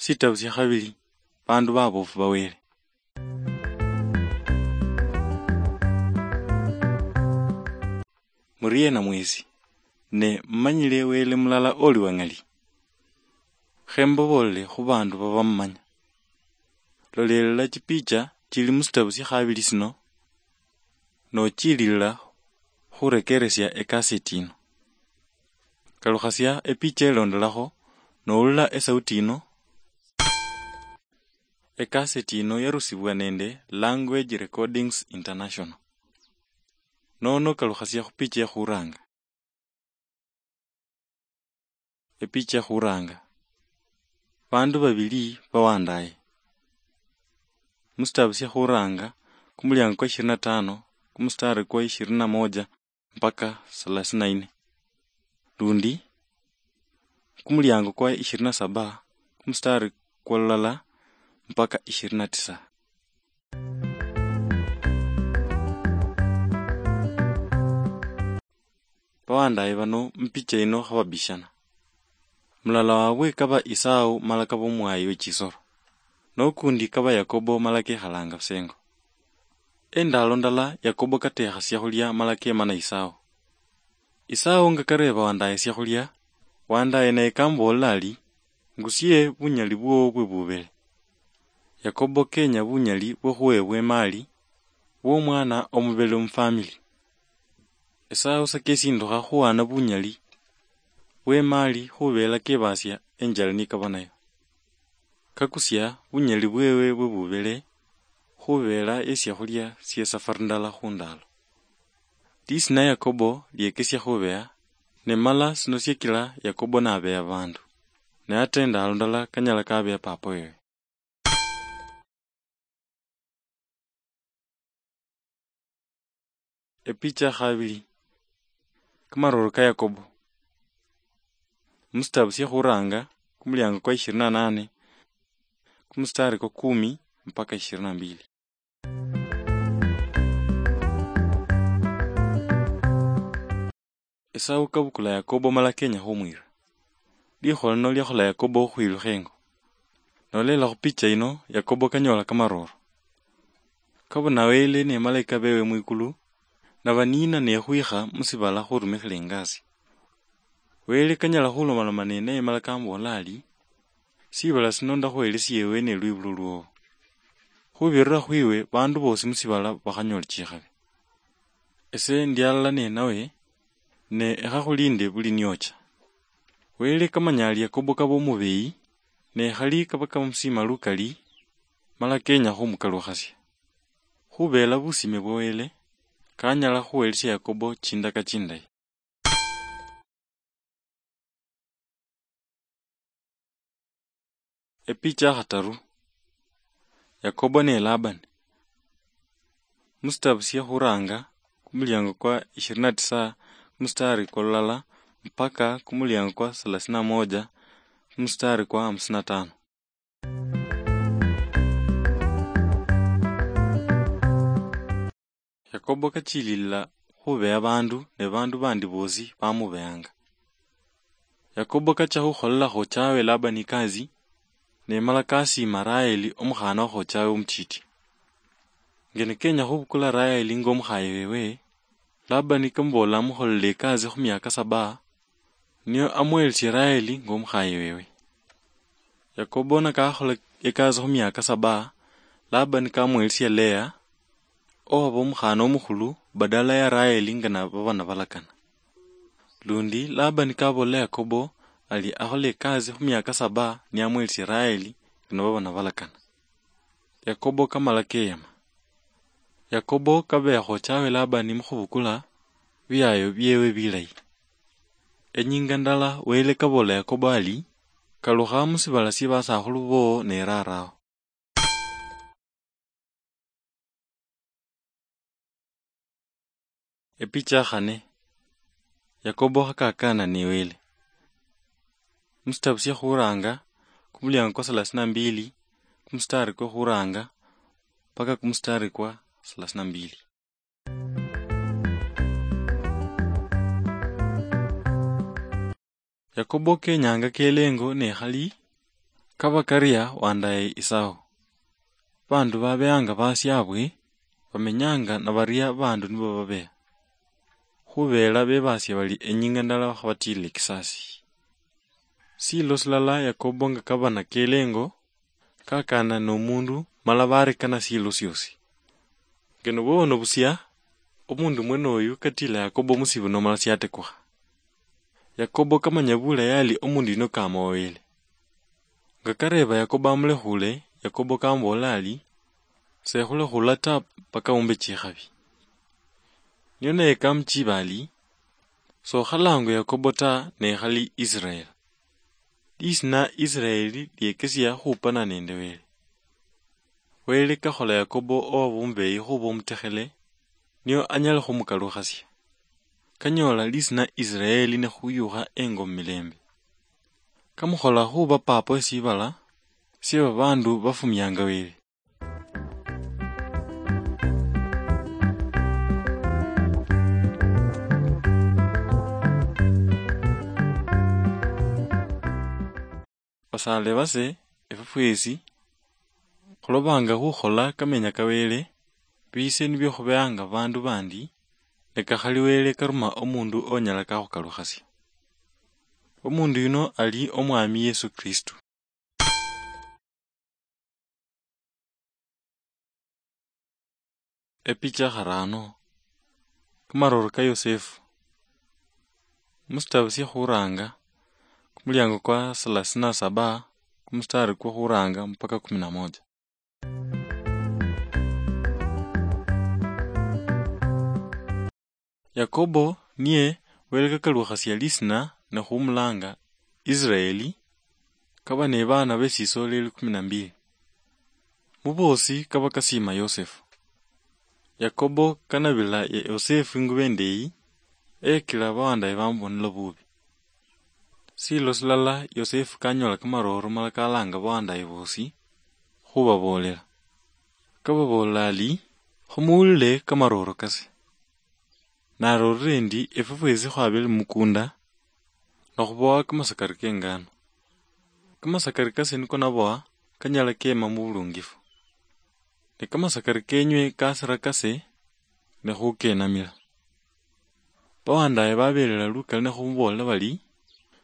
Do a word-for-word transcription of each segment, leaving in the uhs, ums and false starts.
Shitabu shia khabili, bandu babofu ba Wele. Muriena mwesi, ne mumanyile Wele mulala oli wa ng'ali? Khe mbabolele khu bandu babamumanya. Lolelela chipicha chili mu shitabu shia khabili shino, nochililila khurekeresia ekaseti yino. Kalukhasia epicha elondolakho, noulila esauti yino. Ekaseti yino yarusibwa nende Language Recordings International. Nono kalukhasia khupicha ekhuranga. Epicha ekhuranga. Bandu babili bawandaye. Musitabu sia khuranga, kumuliango kwa ishirini na tano, kumustari kwa ishirini na moja mpaka thelathini na nne. Lundi, kumuliango kwa ishirini na saba, kumustari kwa lulala mpaka ishirini na tisa. Bawandaye bano mupicha ino khababishana. Mulala wabwe kaba Esau mala kaba omwayi we chisoro. Nokundi kaba Yakobo mala kekhalanga busengo. Endalo ndala Yakobo katekha siakhulia mala kemana Esau. Esau nga kareba wandaye siakhulia, wandaye naye kamubolela ari, "Ngusie bunyali bwowo bwe bubele." Yakobo kenya bunyali bwo khuwebwa emali bwomwana omubele mufamili. Esau sakesindukha khuwana bunyali bwemali khubela kebasia enjala nikaba nayo. Kakusia bunyali bwewe bwe bubele khubela esiakhulia sie safari ndala khundalo. Lisina Yakobo liekesia khubeha, ne mala sino siekila Yakobo nabeha bandu, ne ata endalo ndala kanyala kabeha papa wewe. Epicha khabili. Kamaroro ka Yakobo. Musitabu sia khuranga, kumuliango kwa ishirini na nane, kumustari kwa kumi mpaka ishirini na mbili. Esau kabukula Yakobo mala kenya khumwira. Likhola lino liakhola Yakobo khukhwilukha engo. Nololela khupicha ino, Yakobo kanyola kamaroro. Kabona Wele ne malaika bewe mwikulu, nabaniina ne khwikha musibala khurumikhila ingasi. Wele kanyala khulomaloma ninaye mala kamubola ari, "Sibala sino ndakhuhelesia ewe ne lwibulu lwowo. Khubirira khwiwe bandu bosi musibala bakhanyole chikhabi. Ese ndi alala nenawe, ne ekhakhulinde buli niocha." Wele kamanya ari Yakobo kaba omubeyi, ne khali kaba kamusima lukali, mala kenya khumukalukhasia. Khubela busime bwa Wele, kanyala khuhelesia Yakobo chindaka chindayi. Epicha khataru. Yakobo ne Labani. Musitabu sia khuranga, kumuliango kwa ishirini na tisa, kumustari kwa lulala, mpaka kumuliango kwa thelathini na moja, kumustari kwa hamsini na tano. Yakobo kachililila khubeha bandu, ne bandu bandi bosi bamubehanga. Yakobo kacha khukholela khochawe Labani ikasi, ne mala kasima Raheli omukhana wa khochawe omutiti. Nge nikenya khubukula Raheli nga omukhaye wewe, Labani kamubola amukholele ikasi khumiaka saba, nio amuhelesie Raheli nga omukhaye wewe. Yakobo nakakhola ekasi khumiaka saba, Labani kamuhelesia Lea, owaba omukhana omukhulu badala ya Raheli nga nababa nabalakana. Lundi Labani kabolela Yakobo ari akhole ekasi khumiaka saba niamuhelesie Raheli nga nababa nabalakana. Yakobo kamala keyama. Yakobo kabeha khochawe Labani mukhubukula biayo biewe bilayi. Enyinga ndala Wele kabolela Yakobo ari, "Kalukha musibala sie basakhulu bowo ne rarawo." Epicha khane. Yakobo khakakana ne Wele. Musitabu sia khuranga, kumuliango kwa thelathini na mbili, kumustari kwa khuranga, paka kumustari kwa thelathini na mbili. Yakobo kenyanga kelengo ne khali Kaba karia wandaye Isao. Bandu babeanga basiabwe, bamenyanga nabaria bandu nibo babeha. Khubela bebasia bali enyinga ndala khabatile kisasi. Silo silala Yakobo nga kaba nakele engo, kakana nomundu mala barekana silo siosi. Ngeno bono busia, omundu mwene oyu katila Yakobo musibu nomala siatekukha. Yakobo kamanya bulayi ali omundu yuno kamoyele. Nga kareba Yakobo amulekhule, Yakobo kamubola ali, "Sekhulekhula ta paka umbe chikhabi." Nio naye kamuchiba ali, "Sokhalangwe Yakobo ta, ne khali Israel." Lisina Israeli liekesia khupana nende Wele. Wele kakhola Yakobo owa bumbeyi khuba omutekhele, nio anyale khumukalukhasia. Kanyola lisina Israeli ne khuyukha engo mumilembe. Kamukhola khuba papa wesibala sie babandu bafumianga Wele. Basaale base, efwe fwesi khulobanga khukhola kamenya ka Wele, bise nibyo khubeanga bandu bandi, ne kakhali Wele karuma omundu onyala kakhukalukhasia. Omundu yuno ali Omwami Yesu Kristo. Epicha kharano. Kamaroro ka Yosefu. Musitabu sya khuranga, kumuliango kwa thelathini na saba, kumustari kwa khuranga mpaka kumi na moja. Yakobo niye Wele kakalukhasia lisina ne khumulanga Israeli, kaba ne baana be sisoleli kumi na mbili. Mu boosi kaba kasiima Yosefu. Yakobo kanabila Yosefu ingubo indeyi, eyakila bawandaye bamubonela bubi. Silo silala Yosefu kanyola kamaroro mala kalanga bawandaye boosi khubaboolela. Kababoolela ali, "Khumuwulile kamaroro kase." Narorire endi efwe fwesi khwabele mumukunda, nokhubowa kamasakari kengano. Kamasakari kase niko nabowa kanyala kema mubulungifu. Ne kamasakari kenywe kasira kase, ne khukenamila. Bawandaye babelela lukali ne khumubolela bali,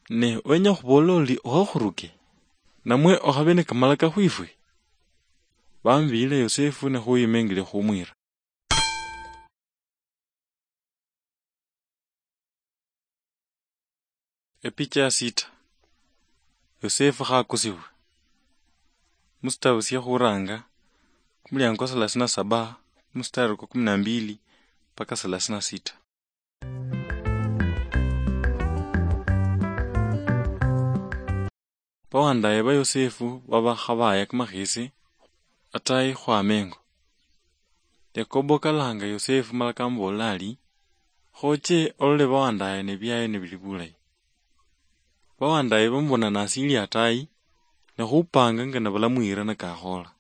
"Ne wenya khubola oli okhokhuruke, namwe okhabe ne kamalaka khwifwe?" Bamubiyila Yosefu ne khuyima engeli khumwira. Epicha ya sita. Yosefu khakusibwe. Musitabu sya khuranga, kumuliango kwa thelathini na saba, mustari kwa kumi na mbili mpaka thelathini na sita. Bawandaye ba Yosefu baba khabaya kamakhesi atayi khwama engo. Yakobo kalanga Yosefu mala kamubolela ari, "Khoche olole bawandaye ne biaye nibili bulayi." Bawandaye bamubona nasili atayi, ne khupanga nga nabalamwira nakakhola.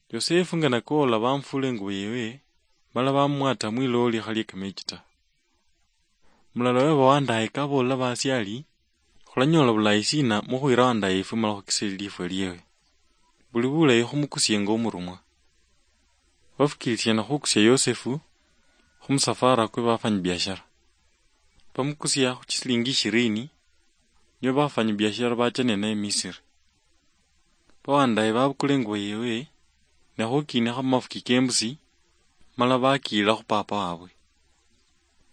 Yosefu nga nakoola bamufula engubo yewe, mala bamumwata mwilowo likha lye kamechi ta. Mulala we bawandaye kabool'la baasye ari, "Khulanyoola bulayi siina mukhwiira wandaye ifwe mala khukisile lifwa liewe? Buli bulayi khumukusie nga omurumwa." Bafukiilisiana khukusia Yosefu khumusafara kwe bafanyibiashara. Bamukusia khuchisilingi ishirini, nio bafanyibiashara bacha ninaye Misiri. Bawandaye babukula engubo yewe, ne khukiinikha mumafuki kembusi, mala bakiila khu papa wabwe.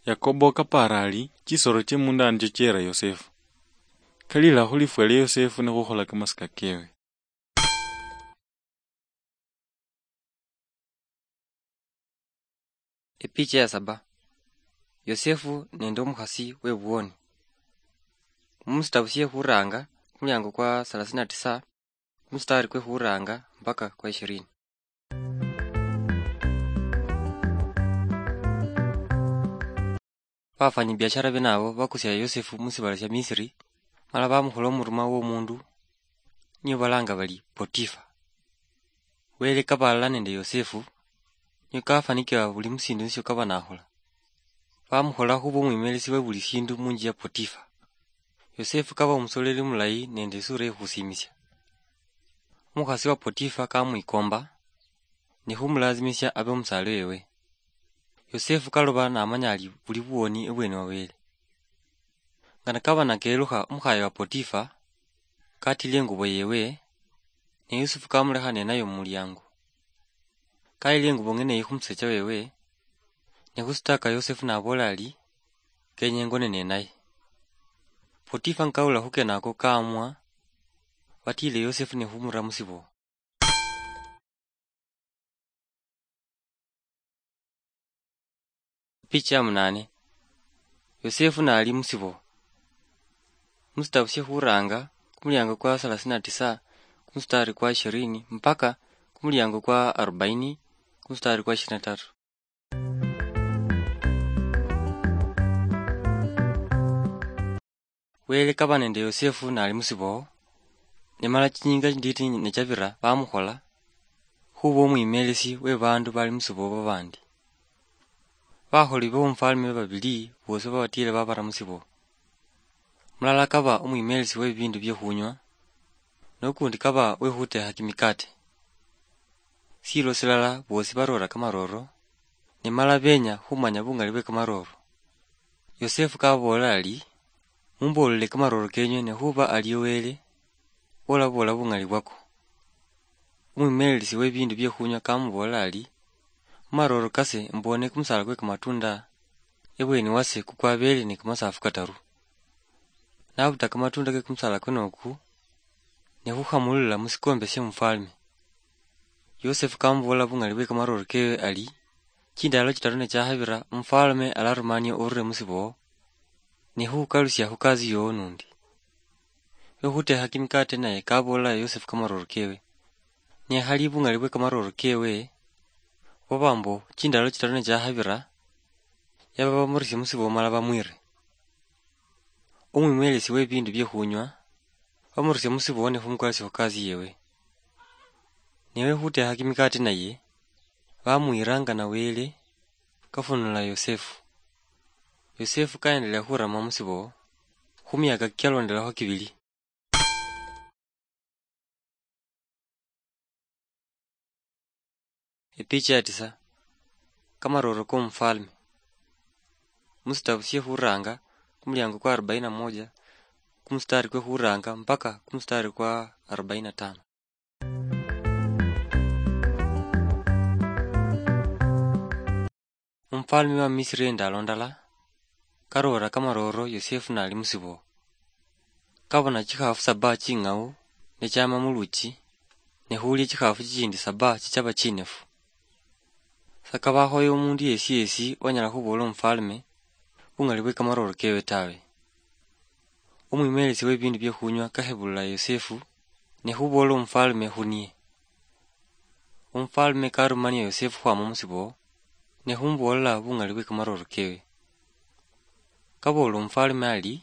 Yakobo kapaara ari, "Chisoro chie munda nicho chiera Yosefu." Kalila khulifwa lia Yosefu ne khukhola kamasika kewe. Epicha ya saba. Yosefu nende omukhasi webuwoni. Mumusitabu sie khuranga, kumuliango kwa thelathini na tisa, kumustari kwe khuranga mpaka kwa ishirini. Bafanyibiashara bene abo bakusia Yosefu musibala sia Misiri, mala bamukhola omurumwa womundu niyo balanga bali Potifa. Wele kaba alala nende Yosefu, niyo kafanikiwa buli musindu nisio kaba nakhola. Bamukhola khuba omwimelesi we buli sindu munju ya Potifa. Yosefu kaba omusoleli mulayi nende isura yekhusimisia. Omukhasi wa Potifa kamwikomba, ne khumulazimisia abe omusaale wewe. Yosefu kaloba namanya ali buli buwoni ebweni wa Wele. Nga nakaba nakelukha omukhaye wa Potifa, katile engubo yewe, ne Yosefu kamulekha nenayo mumuliango. Kayile engubo ng'ene eyi khumusecha wewe, ne khusitaka Yosefu nabola ali, "Kenya engone nenaye." Potifa nga kawulila khukenako kamwa, batile Yosefu ne khumura musibo. Picha ya munane. Yosefu nali musibo. Musitabu sye khuranga, kumuliango kwa thelathini na tisa, kumustari kwa ishirini, mpaka kumuliango kwa arobaini, kumustari kwa ishirini na tatu. Wele kaba nende Yosefu nali musibo, ne mala chinyinga chinditi ne chabira bamukhola khuba omwimelesi we bandu bali musibo babandi. Bakholi bomufalme babili bosi babatile babara musibo. Mulala kaba omwimelesi we bibindu bye khunywa, nokundi kaba we khutekha kimikate. Silo silala bosi barora kamaroro, ne mala benya khumanya bungali bwe kamaroro. Yosefu kabola ali, "Mumbolele kamaroro kenywe, ne khuba aliyo Wele, olabola bungali bwako." Omwimelelisi we bibindu bye khunywa kamubola ali, "Mumaroro kase mbone kumusala kwe kamatunda ebweni wase kukwabele ne kamasafu kataru." Nabuta kamatunda ke kumusala kuno oku, ne khukhamulula musikombe sye mufalme. Yosefu kamubola bungali bwe kamaroro kewe ali, "Chindalo chitaru ne chakhabira, omufalme alarumania orure musibo, ne khukalusia khu kazi yowo nundi." We khutekha kimikate naye kabool'la Yosefu kamaroro kewe. Ne khali bungali bwe kamaroro kewe, bwaba mbo chindalo chitaru ne chakhabira, yaba bamurusie musibo mala bamwire. Omwimelesi we bibindu bye khunywa, bamurusia musibo ne khumukalusia khu kazi yewe. Ne we khutekha kimikate naye, bamwiranga na Wele kafunula Yosefu. Yosefu kaendelea khurama musibo khu miaka kialondelakho kibili. Epicha ya tisa. Kamaroro komufalme. Musitabu sie khuranga, kumuliango kwa arobaini na moja, kumustari kwe khuranga mpaka kumustari kwa arobaini na tano. Omufalme wa Misiri endalo ndala, karora kamaroro Yosefu nali musibo. Kabona chikhafu saba ching'au, ne chama muluchi, ne khulia chikhafu chichindi saba chichaba chinefu. Sakaba akhoye omundu yesi yesi onyala khubola omufalme bungali bwe kamaroro kewe tawe. Omwimelesi we bibindu bye khunywa kakhebulula Yosefu, ne khubola omufalme khunie. Omufalme karumania Yosefu khwama musibo, ne khumubool'la bungali bwe kamaroro kewe. Kaboola omufalme ali,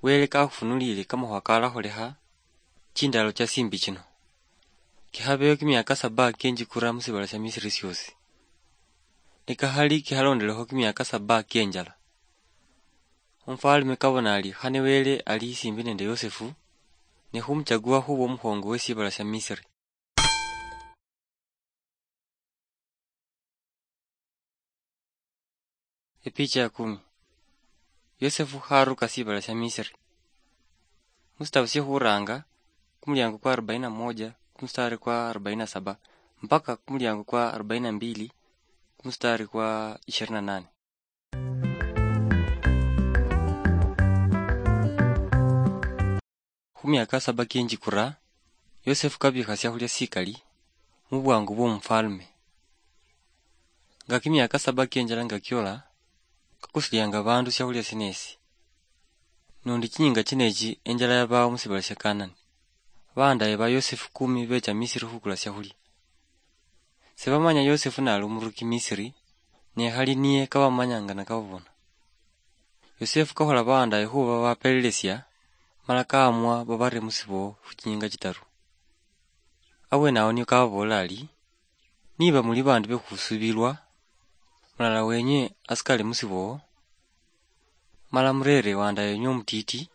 "Wele kakhufunulile kamakhuwa kalakholekha chindalo cha simbi chino. Kikhabeyo kimiaka saba kenjikura musibala sia Misiri siosi. Ne kakhali kikhalondelekho kimiaka saba kenjala." Omufalme kabona ali khane Wele ali simbi nende Yosefu, ne khumuchagua khuba omukhongo we sibala sia Misiri. Epicha ya kumi. Yosefu kharuka sibala sia Misiri. Musitabu sie khuranga, kumuliango kwa arobaini na moja, kumustari kwa arobaini na saba, mpaka kumuliango kwa arobaini na mbili, kumustari kwa ishirini na nane. Khu miaka saba kienjikura, Yosefu kabikha siakhulia sikali mu bwangu bwo mufalme. Nga kimiaka saba kienjala nga kiola, kakusulianga bandu siakhulia sinesi. Nundi chinyinga chinechi enjala yabawo musibala sia Kanani. Bandaye ba Yosefu kumi becha Misiri khukula siakhulia. Sibamanya Yosefu nali omuruki Misiri, ne khali niye kabamanya nga nakababona. Yosefu kakhola baandaye khuba babapelelesia, mala kaamwa babare musibo khu chinyinga chitaru. Abweene awo niyo kababoolela ari, "Niba muli baandu be khusuubilwa, mulala wenywe asikale musibo, mala mureere waandaye wenywe omutiiti,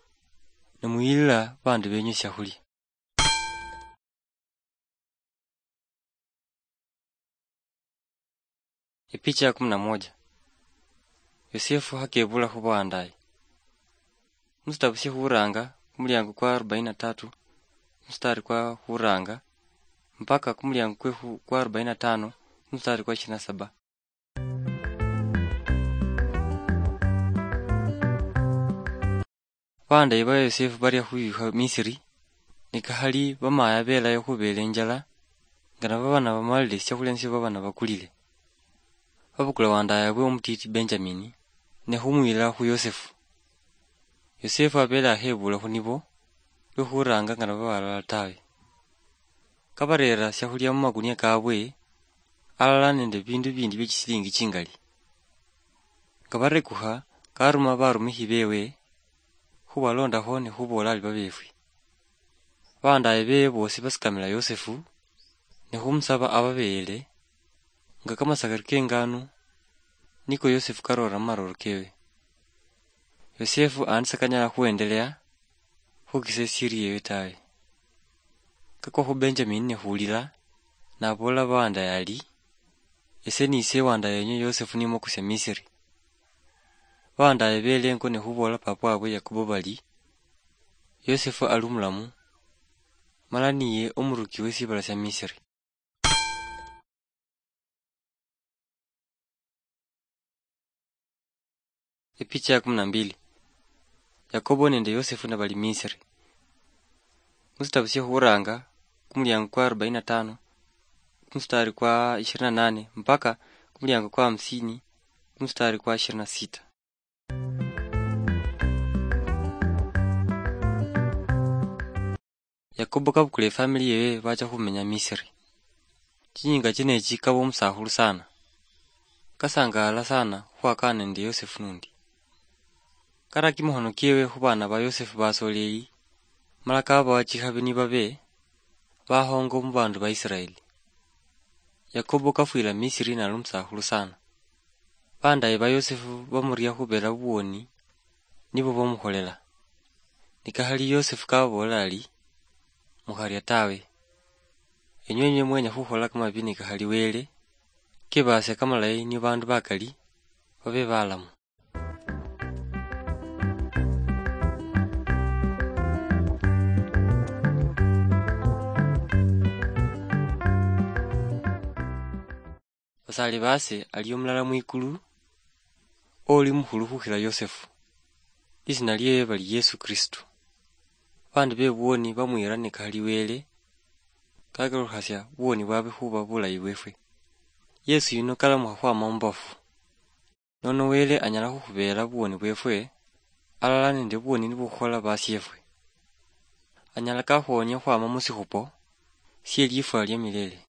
ne muyilila baandu benywe esyakhulya." Epicha ya kumi na moja. Yosefu hakebula khubandaye. Musitabu sye khuranga kumuliango kwa arobaini na tatu, musitari kwa khuranga, mpaka kumuliango kwe khu-, kwa arobaini na tano, musitari kwa ishirini na saba. Bandaye ba Yosefu baria khuyukha Misiri, nikakhali bamaya belayo khubela injala, nga nababa nabamalile siakhulya nisio baba nabakulile. Babukula wandayabwe omutiti Benjamini, ne khumuyila khu Yosefu. Yosefu abele akhebula khu nibo, lwe khuranga nga nababa alala tawe. Kabarera siakhulya mumakunia kabwe, alala nende bindu bindi bie chisilingi chingali. Nga barekukha, karuma barumikhi bewe, khubalondakho ne khuboola ali babefwe. Bandaye bewe bosi basikamila Yosefu, ne khumusaba ababeyele, nga kamasakari kenganu, niko Yosefu karora mumaroro kewe. Yosefu andi sakanyala khuendelea khukisa esiri yewe tawe. Kakwa khu Benjamini ne khulila, naboola bawandaye ali, "Ese nise wandaye yenyu Yosefu nimukusia Misiri." Bawandaye belengo ne khuboola papa wabwe Yakobo bali, "Yosefu ali omulamu, mala niye omuruki we sibala sia Misiri." Epicha ya kumi na mbili. Yakobo nende Yosefu nabali Misiri. Musitabu sye khuranga, kumuliango kwa arobaini na tano, kumustari kwa ishirini na nane, mpaka kumuliango kwa hamsini, kumustari kwa ishirini na sita. Yakobo kabukula efamili yewe bacha khumenya Misiri. Chinyinga chino echi kaba omusakhulu sana. Kasangaala sana khukhwakana nende Yosefu nundi. Kara kimikhono kiewe khu baana ba Yosefu basoleli, mala kabawa chikhabi nibabe bakhongo mu bandu ba Isiraeli. Yakobo kafwila Misiri nali omusakhulu sana. Bandaye ba Yosefu bamuria khubela buwoni, nibo bamukholela. Nikakhali Yosefu kababoolera ari, "Mukharia tawe. Enywe enywe mwenya khukhola kamabi nikakhali Wele, kebasia kamalayi ni bandu bakali babe balamu." Basaali baase ali omulala mwikulu, oli mukhulu khukhila Yosefu. Lisiina liewe bali Yesu Kristo. Baandi be buwoni bamwiira nikakhali Wele, kakalukhasia buwoni bwabwe khuba bulayi bweefwe. Yesu yuno kalamukha khwama mu bafu. Nono Wele anyala khukhubeela buwoni bweefwe, alala nende buwoni nibukhukhola basyeefwe. Anyala kakhuwonia khwama mu sikhupo sie liifwa lia milele.